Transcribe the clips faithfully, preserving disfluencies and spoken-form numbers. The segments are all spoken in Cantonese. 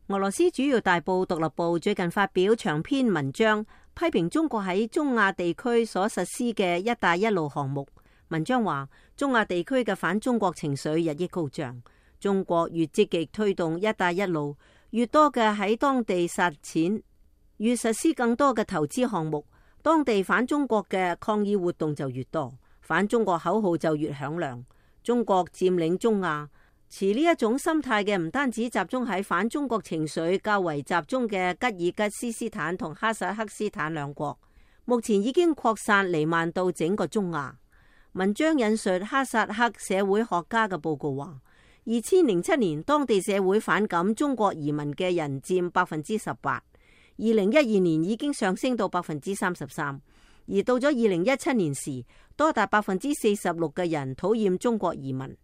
俄羅斯主要大報《獨立報》最近發表長篇文章，批評中國喺中亞地區所實施嘅一帶一路項目。文章話，中亞地區嘅反中國情緒日益高漲，中國越積極推動一帶一路，越多嘅喺當地撒錢，越實施更多嘅投資項目，當地反中國嘅抗議活動就越多，反中國口號就越響亮。中國佔領中亞，持呢一種心態嘅唔單止集中喺反中國情緒較為集中嘅吉爾吉斯斯坦同哈薩克斯坦兩國，目前已經擴散彌漫到整個中亞。文章引述哈薩克社會學家嘅報告話，二千零七年當地社會反感中國移民嘅人佔百分之十八，二零一二年已經上升到百分之三十三，而到咗二零一七年時，多達百分之四十六嘅人討厭中國移民。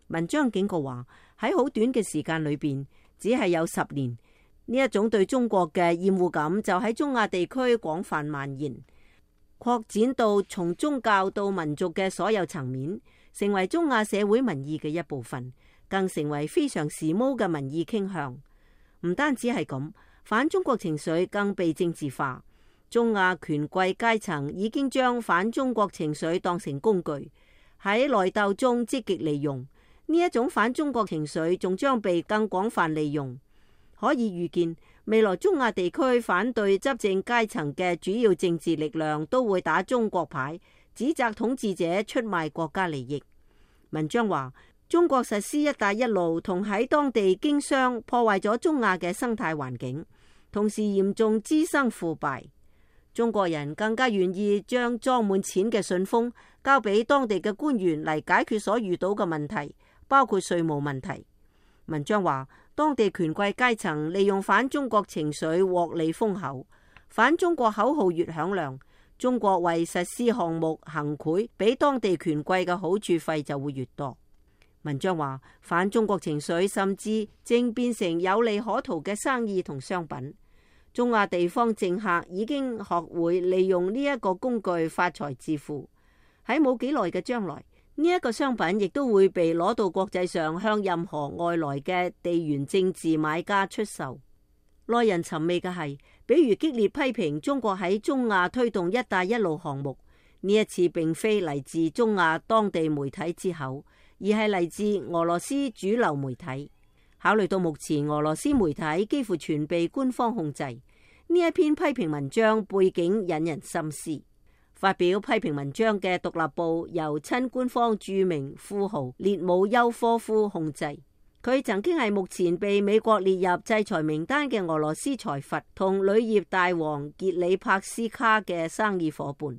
文章警告話，喺好短嘅時間裏邊，只係有十年，呢一種對中國嘅厭惡感就喺中亞地區廣泛蔓延，擴展到從宗教到民族嘅所有層面，成為中亞社會民意嘅一部分，更成為非常時髦嘅民意傾向。唔單止係咁，反中國情緒更被政治化，中亞權貴階層已經將反中國情緒當成工具，喺內鬥中積極利用。呢一種反中國情緒仲將被更廣泛利用，可以預見未來中亞地區反對執政階層嘅主要政治力量都會打中國牌，指責統治者出賣國家利益。文章話，中國實施一帶一路同喺當地經商，破壞咗中亞嘅生態環境，同時嚴重滋生腐敗。中國人更加願意將裝滿錢嘅信封交俾當地嘅官員嚟解決所遇到嘅問題，包括稅務問題。文章話，當地權貴階層利用反中國情緒獲利豐厚，反中國口號越響亮，中國為實施項目行賄俾當地權貴嘅好處費就會越多。文章話，反中國情緒甚至正變成有利可圖嘅生意同商品。中亞地方政客已經學會利用呢一個工具發財致富，喺冇幾耐嘅將來，呢一個商品亦都會被攞到國際上向任何外來嘅地緣政治買家出售。耐人尋味嘅係，比如激烈批評中國喺中亞推動一帶一路項目，呢一次並非嚟自中亞當地媒體之口，而係嚟自俄羅斯主流媒體。考慮到目前俄羅斯媒體幾乎全被官方控制，呢一篇批評文章背景引人深思。發表批評文章嘅獨立報由親官方著名富豪列姆丘科夫控制，佢曾經係目前被美國列入制裁名單嘅俄羅斯財閥同鋁業大王傑里帕斯卡嘅生意夥伴。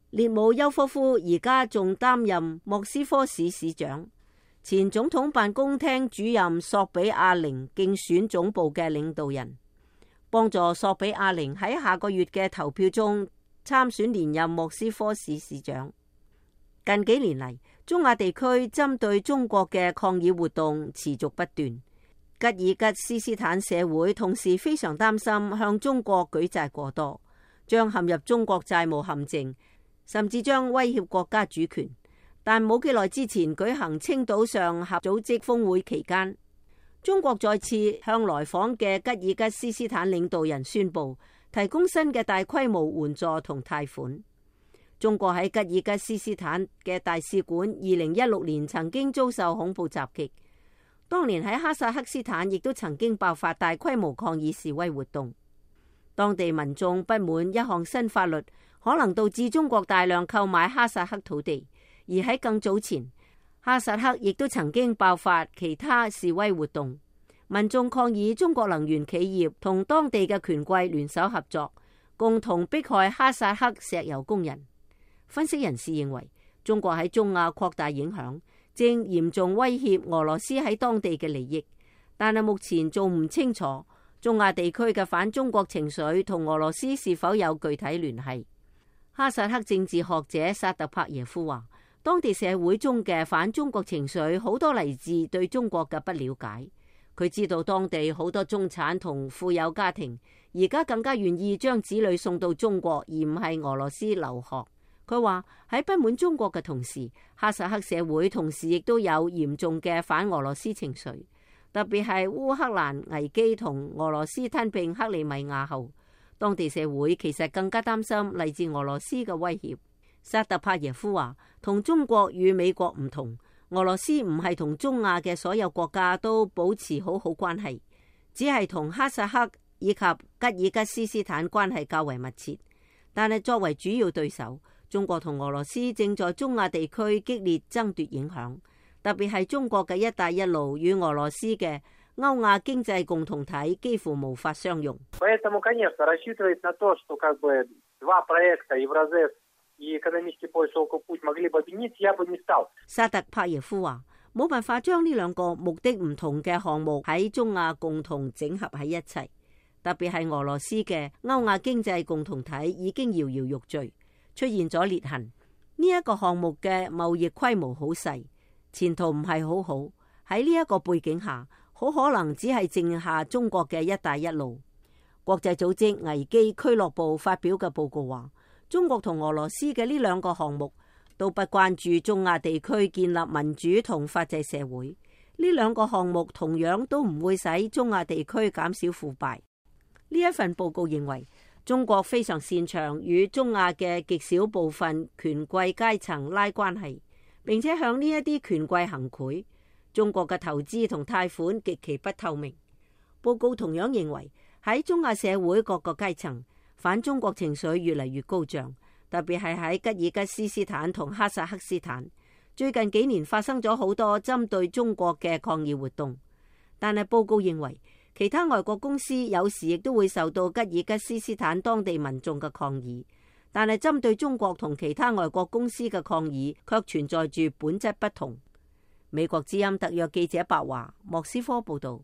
列姆丘科夫而家仲擔任莫斯科市市長，前總統辦公廳主任索比亞寧競選總部嘅領導人，幫助索比亞寧喺下個月嘅投票中參選連任莫斯科市市長。近幾年嚟，中亞地區針對中國嘅抗議活動持續不斷。吉爾吉斯斯坦社會同時非常擔心向中國舉債過多，將陷入中國債務陷阱，甚至將威脅國家主權。但冇幾耐之前舉行青島上合組織峰會期間，中國再次向來訪嘅吉爾吉斯斯坦領導人宣布提供新嘅大規模援助同貸款。中國喺吉爾吉斯斯坦嘅大使館二零一六年曾經遭受恐怖襲擊，當年喺哈薩克斯坦亦都曾經爆發大規模抗議示威活動。當地民眾不滿一項新法律可能導致中國大量購買哈薩克土地，而喺更早前，哈薩克亦都曾經爆發其他示威活動，民眾抗議中國能源企業同當地嘅權貴聯手合作，共同迫害哈薩克石油工人。分析人士認為，中國喺中亞擴大影響，正嚴重威脅俄羅斯喺當地嘅利益，但係目前仲唔清楚中亞地區嘅反中國情緒同俄羅斯是否有具體聯繫。哈薩克政治學者薩特帕耶夫話，當地社會中嘅反中國情緒好多嚟自對中國嘅不了解。佢知道當地好多中產同富有家庭而家更加願意將子女送到中國，而唔係俄羅斯留學。佢話喺不滿中國嘅同時，哈薩克社會同時亦都有嚴重嘅反俄羅斯情緒。特別係烏克蘭危機同俄羅斯吞併克里米亞後，當地社會其實更加擔心嚟自俄羅斯嘅威脅。薩特帕耶夫話：同中國與美國唔同，俄羅斯唔係同中亞嘅所有國家都保持好好關係，只係同哈薩克以及吉爾吉斯斯坦關係較為密切。但係作為主要對手，中國同俄羅斯正在中亞地區激烈爭奪影響，特別係中國嘅一帶一路與俄羅斯嘅歐亞經濟共同體幾乎無法相容。薩特帕耶夫話：冇辦法將呢兩個目的唔同嘅項目喺中亞共同整合喺一齊，特別係俄羅斯嘅歐亞經濟共同體已經搖搖欲墜，出現咗裂痕。呢、這、一個項目嘅貿易規模好細，前途唔係好好。喺呢一個背景下，好可能只係剩下中國嘅一帶一路。國際組織危機俱樂部發表嘅報告話，中國同俄羅斯嘅呢兩個項目都不關注中亞地區建立民主同法治社會。呢兩個項目同樣都唔會使中亞地區減少腐敗。呢一份報告認為，中國非常擅長與中亞嘅極少部分權貴階層拉關係，並且向呢一啲權貴行賄。中國嘅投資同貸款極其不透明。報告同樣認為，喺中亞社會各個階層，反中國情緒越嚟越高漲，特別係喺吉爾吉斯斯坦同哈薩克斯坦。最近幾年發生咗好多針對中國嘅抗議活動，但係報告認為，其他外國公司有時亦都會受到吉爾吉斯斯坦當地民眾嘅抗議，但係針對中國同其他外國公司嘅抗議卻存在住本質不同。美國之音特約記者白華莫斯科報道。